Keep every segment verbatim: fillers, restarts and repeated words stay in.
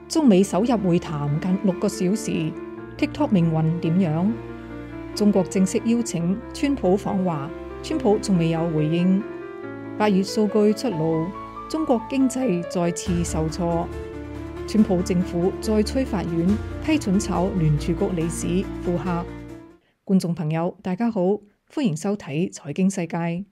中美首日會談近六個小時 ，TikTok 命運點樣？中國正式邀請川普訪華，川普仲未有回應。八月數據出爐，中國經濟再次受挫。川普政府再催法院批准炒聯儲局理事庫克。觀眾朋友，大家好，歡迎收睇財經世界。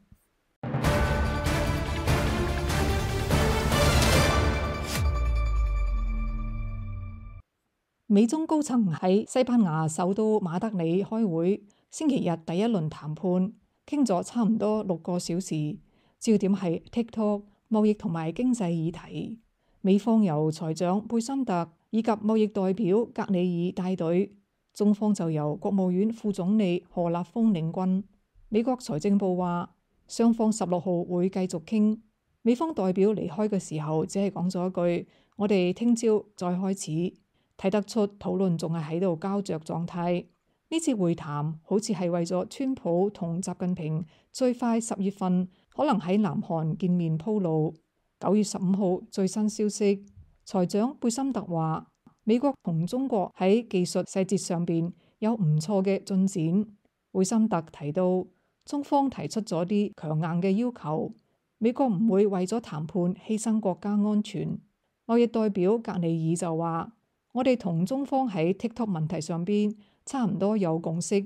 美中高層喺西班牙首都馬德里開會，星期日第一輪談判，傾咗差唔多六個小時，焦點係 TikTok 貿易同埋經濟議題。美方由財長貝森特以及貿易代表格里爾帶隊，中方就由國務院副總理何立峰領軍。美國財政部話，雙方十六號會繼續傾。美方代表離開嘅時候，只係講咗一句：我哋聽朝再開始。睇得出討論仲係喺度膠着狀態。呢次會談好似係為咗川普同習近平最快十月份可能喺南韓見面鋪路。九月十五號最新消息，財長貝森特話美國同中國喺技術細節上邊有唔錯嘅進展。貝森特提到，中方提出咗啲強硬嘅要求，美國唔會為咗談判犧牲國家安全。貿易代表格里爾就話，我哋同中方喺 TikTok 問題上邊差唔多有共識。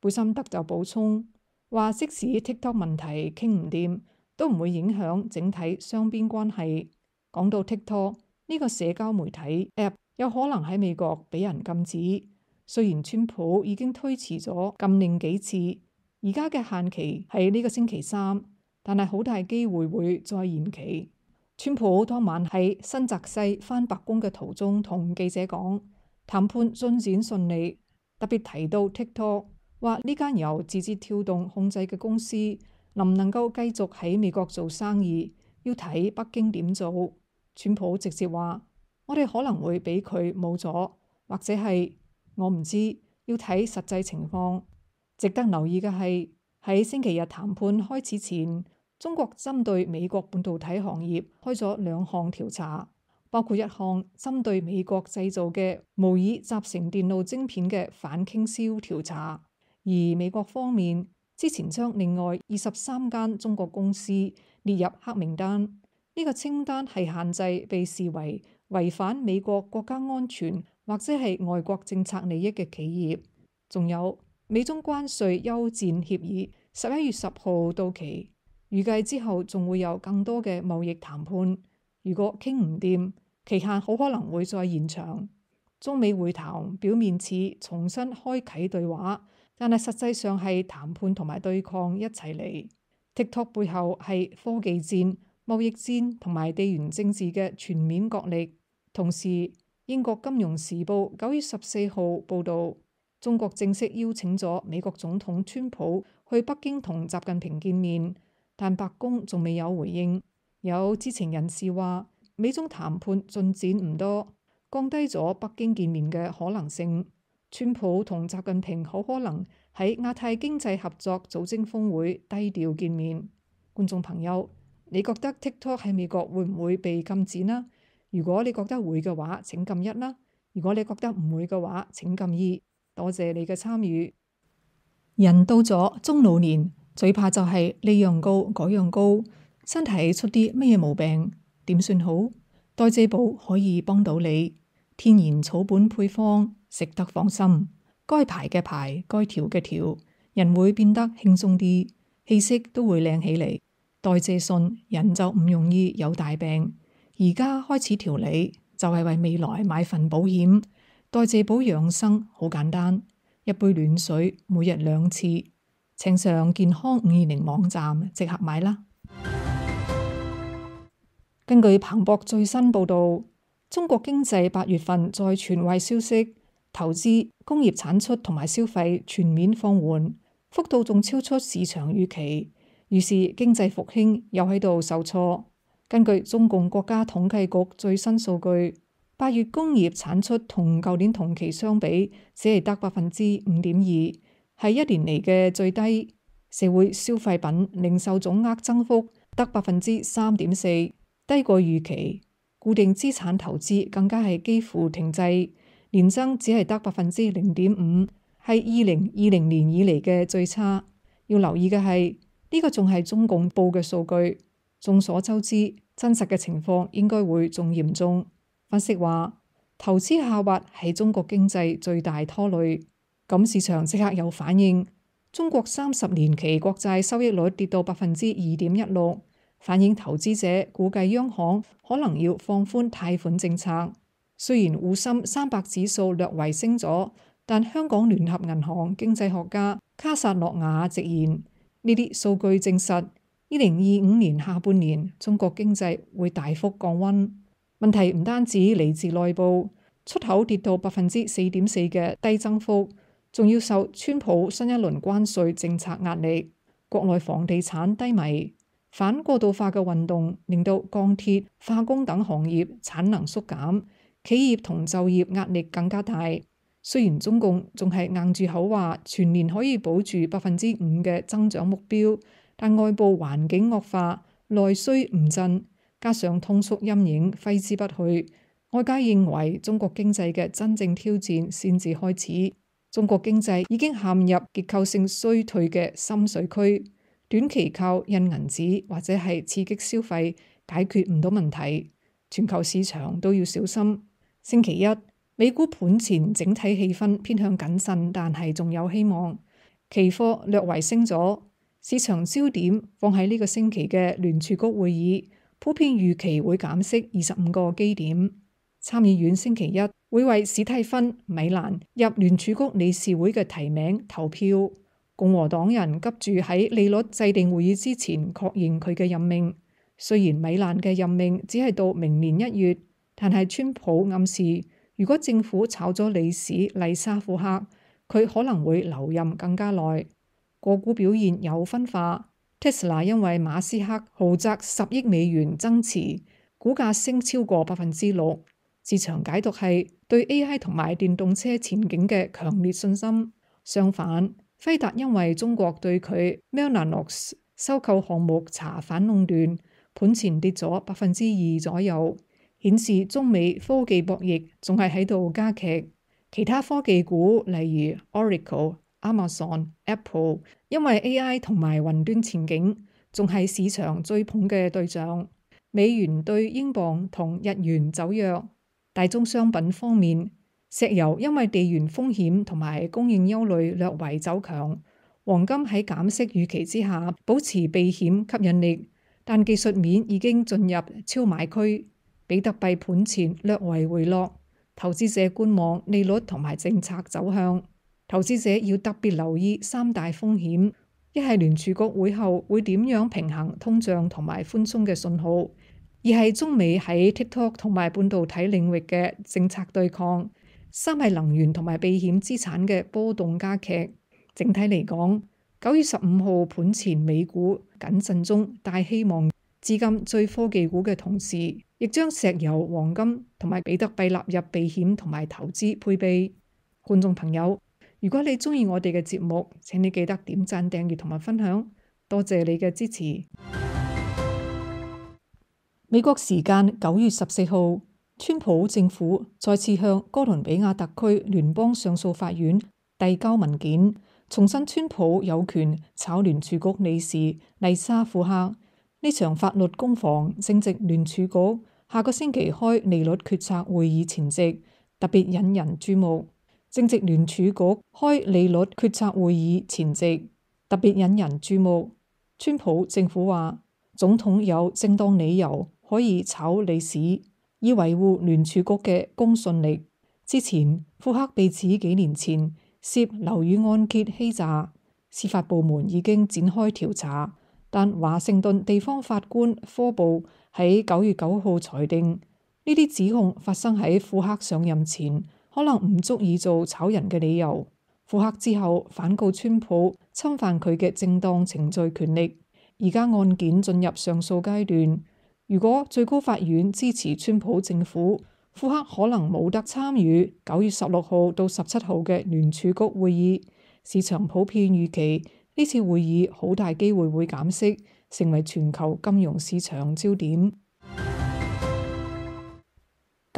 貝森特就補充話，即使 TikTok 問題傾唔掂，都唔會影響整體雙邊關係。講到 TikTok 呢個社交媒體 App 有可能喺美國俾人禁止，雖然川普已經推遲咗禁令幾次，而家嘅限期係呢個星期三，但係好大機會會再延期。川普當晚喺新澤西返白宮嘅途中同記者講，談判進展順利，特別提到 TikTok， 話呢間由字節跳動控制嘅公司能唔能夠繼續喺美國做生意，要睇北京點做。川普直接話，我哋可能會俾佢冇咗，或者係我唔知，要睇實際情況。值得留意嘅係，喺星期日談判開始前，中國針對美國半導體行業開咗兩項調查，包括一項針對美國製造嘅模擬集成電路晶片嘅反傾銷調查。而美國方面之前將另外二十三間中國公司列入黑名單，呢、這個清單係限制被視為違反美國國家安全或者係外國政策利益嘅企業。仲有美中關稅休戰協議十一月十號到期。預計之後仲會有更多嘅貿易談判，如果傾唔掂，期限好可能會再延長。中美會談表面似重新開啟對話，但係實際上係談判同埋對抗一齊嚟。TikTok 背後係科技戰、貿易戰同埋地緣政治嘅全面角力。同時，英國金融時報九月十四號報導，中國正式邀請咗美國總統川普去北京同習近平見面。但白宮仲未有回應。有知情人士話，美中談判進展唔多，降低咗北京見面嘅可能性。川普同習近平好可能喺亞太經濟合作組織峰會低調見面。觀眾朋友，你覺得 TikTok 喺美國會唔會被禁止呢？如果你覺得會嘅話，請撳一啦；如果你覺得唔會嘅話，請撳二。多謝你嘅參與。人到咗中老年，最怕就係呢樣高嗰樣高，身體出啲乜嘢毛病點算好？代謝寶可以幫到你，天然草本配方，食得放心。該排嘅排，該調嘅調，人會變得輕鬆啲，氣色都會靚起嚟。代謝順，人就唔容易有大病。而家開始調理，就係為未來買份保險。代謝寶養生好簡單，一杯暖水，每日兩次。請上健康五二零網站即刻買啦。根據彭博最新報導，中國經濟八月份再傳壞消息，投資、工業產出同埋消費全面放緩，幅度仲超出市場預期，於是經濟復興又喺度受挫。根據中共國家統計局最新數據，八月工業產出同舊年同期相比，只係得百分之五點二。係一年嚟嘅最低。社會消費品零售總額增幅得百分之三點四，低過預期。固定資產投資更加係幾乎停滯，年增只係得百分之零點五，係二零二零年以嚟嘅最差。要留意嘅係呢個仲係中共報嘅數據，眾所周知，真實嘅情況應該會仲嚴重。分析話，投資下滑係中國經濟最大拖累。咁市場即刻有反應，中國三十年期國債收益率跌到百分之二點一六，反映投資者估計央行可能要放寬貸款政策。雖然滬深三百指數略為升咗，但香港聯合銀行經濟學家卡薩諾瓦直言，呢啲數據證實二零二五年下半年中國經濟會大幅降溫。問題唔單止嚟自內部，出口跌到百分之四點四嘅低增幅，仲要受川普新一輪關稅政策壓力，國內房地產低迷，反過渡化嘅運動令到鋼鐵、化工等行業產能縮減，企業同就業壓力更加大。雖然中共仲係硬住口話全年可以保住百分之五嘅增長目標，但外部環境惡化，內需唔振，加上通縮陰影揮之不去，外界認為中國經濟嘅真正挑戰先至開始。中國經濟已經陷入結構性衰退嘅深水區，短期靠印銀紙或者係刺激消費解決唔到問題，全球市場都要小心。星期一，美股盤前整體氣氛偏向謹慎，但係仲有希望。期貨略為升咗，市場焦點放喺呢個星期嘅聯儲局會議，普遍預期會減息二十五個基點。參議院星期一會為史蒂芬·米蘭入聯儲局理事會嘅提名投票，共和黨人急住喺利率制定會議之前確認佢嘅任命。雖然米蘭嘅任命只係到明年一月，但係川普暗示，如果政府炒咗理事麗莎庫克，佢可能會留任更加耐。個股表現有分化，Tesla 因為馬斯克豪擲十億美元增持，股價升超過百分之六。市場解讀係對 A I 同埋電動車前景嘅強烈信心。相反，輝達因為中國對佢 Mellanox 收購項目查反壟斷，盤前跌咗百分之二左右，顯示中美科技博弈仲係喺度加劇。其他科技股例如 Oracle、Amazon、Apple， 因為 A I 同埋雲端前景仲係市場追捧嘅對象。美元對英鎊同日元走弱。大宗商品方面，石油因為地緣風險同埋供應憂慮略為走強，黃金喺減息預期之下保持避險吸引力，但技術面已經進入超買區。比特幣盤前略為回落，投資者觀望利率同埋政策走向。投資者要特別留意三大風險：一係聯儲局會後會點樣平衡通脹同埋寬鬆嘅信號。二係中美喺 TikTok 同埋半導體領域嘅政策對抗，三係能源同埋避險資產嘅波動加劇。整體嚟講，九月十五號盤前美股謹慎中帶希望資金追科技股嘅同時，亦將石油、黃金同埋比特幣納入避險同埋投資配備。觀眾朋友，如果你中意我哋嘅節目，請你記得點讚、訂閱同埋分享，多謝你嘅支持。美國時間九月十四號，川普政府再次向哥倫比亞特區聯邦上訴法院遞交文件，重申川普有權炒聯儲局理事麗莎庫克。呢場法律攻防正值聯儲局下個星期開利率決策會議前夕，特別引人注目。正值聯儲局開利率決策會議前夕，特別引人注目。川普政府話，總統有正當理由可以炒理事，以維護聯儲局嘅公信力。之前，庫克被指幾年前涉樓宇按揭欺詐，司法部門已經展開調查，但華盛頓地方法官科布喺九月九號裁定，呢啲指控發生喺庫克上任前，可能唔足以做炒人嘅理由。庫克之後反告川普侵犯佢嘅正當程序權力，而家案件進入上訴階段。如果最高法院支持川普政府，庫克可能冇得參與九月十六號到十七號嘅聯儲局會議。市場普遍預期呢次會議好大機會會減息，成為全球金融市場焦點。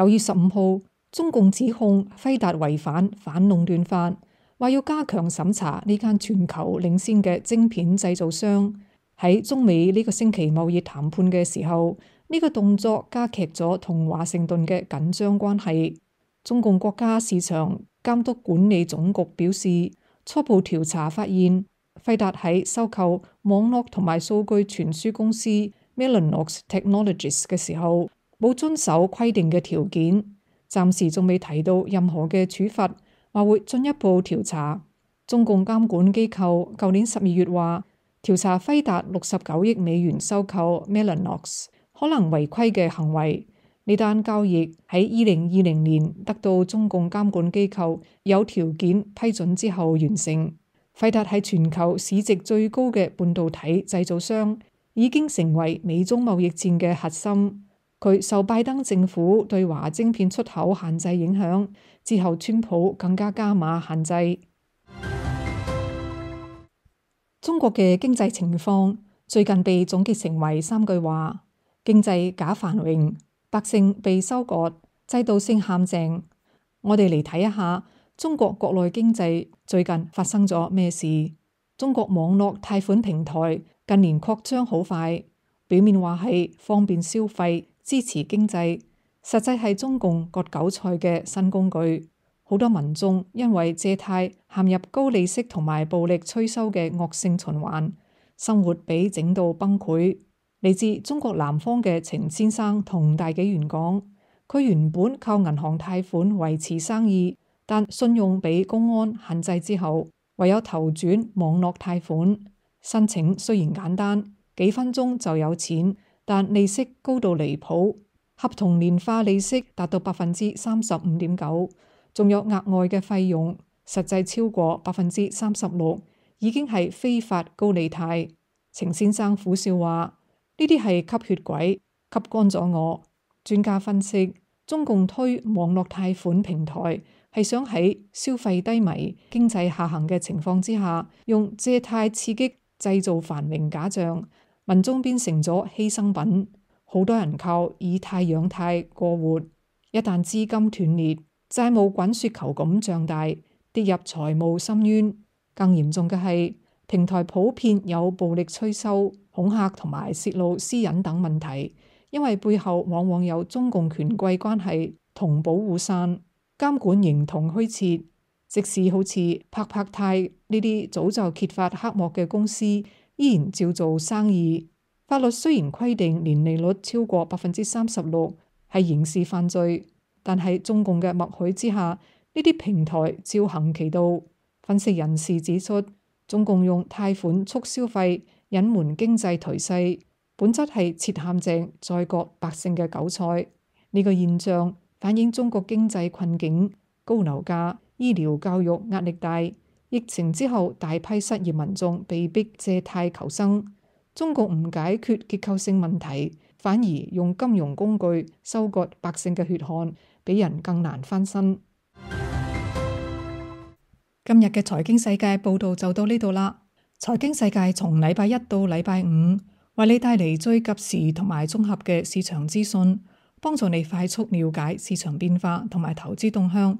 九月十五號，中共指控輝達違反反壟斷法，話要加強審查呢間全球領先嘅晶片製造商。喺中美呢個星期貿易談判嘅時候，呢個動作加劇咗同華盛頓嘅緊張關係。中共國家市場監督管理總局表示，初步調查發現，輝達喺收購網絡同埋數據傳輸公司 Mellanox Technologies 嘅時候，冇遵守規定嘅條件。暫時仲未提到任何嘅處罰，話會進一步調查。中共監管機構舊年十二月話，調查輝達六十九億美元收購 Mellanox 可能違規嘅行為。呢單交易喺二零二零年得到中共監管機構有條件批准之後完成。輝達係全球市值最高嘅半導體製造商，已經成為美中貿易戰嘅核心。佢受拜登政府對華晶片出口限制影響，之後川普更加加碼限制。中國嘅經濟情況最近被總結成為三句話：經濟假繁榮，百姓被收割，制度性陷阱。我哋嚟睇一下中國國內經濟最近發生咗咩事。中國網絡貸款平台近年擴張好快，表面話係方便消費、支持經濟，實際係中共割韭菜嘅新工具。好多民眾因為借貸陷入高利息同埋暴力催收嘅惡性循環，生活被整到崩潰。嚟自中國南方嘅程先生同大紀元講，佢原本靠銀行貸款維持生意，但信用被公安限制之後，唯有投轉網絡貸款。申請雖然簡單，幾分鐘就有錢，但利息高到離譜，合同年化利息達到百分之三十五點九。仲有額外嘅費用，實際超過百分之三十六，已經係非法高利貸。程先生苦笑話：呢啲係吸血鬼，吸乾咗我。專家分析，中共推網絡貸款平台係想喺消費低迷、經濟下行嘅情況之下，用借貸刺激製造繁榮假象，民眾變成咗犧牲品。好多人靠以貸養貸過活，一旦資金斷裂，債務滾雪球咁脹大，跌入財務深淵。更嚴重嘅係，平台普遍有暴力催收、恐嚇同埋泄露私隱等問題，因為背後往往有中共權貴關係同保護傘，監管形同虛設。即使好似拍拍貸呢啲早就揭發黑幕嘅公司，依然照做生意。法律雖然規定年利率超過百分之三十六係刑事犯罪，但係中共嘅默許之下，呢啲平台照行其道。分析人士指出，中共用貸款促消費，隱瞞經濟頹勢，本質係設陷阱，再割百姓嘅韭菜。呢個現象反映中國經濟困境，高樓價、醫療教育壓力大，疫情之後大批失業民眾被逼借貸求生。中共唔解決結構性問題，反而用金融工具收割百姓嘅血汗，比人更難翻身。今日嘅財經世界報道就到呢度啦。財經世界從禮拜一到禮拜五，為你帶嚟最及時同埋綜合嘅市場資訊，幫助你快速了解市場變化同埋投資動向。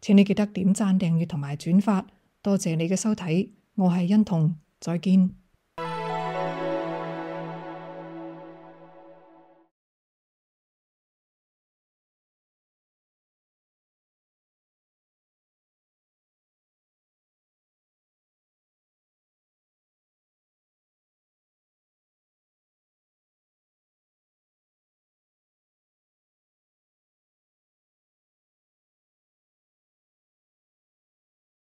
請你記得點讚、訂閱同埋轉發。多謝你嘅收睇，我係欣彤，再見。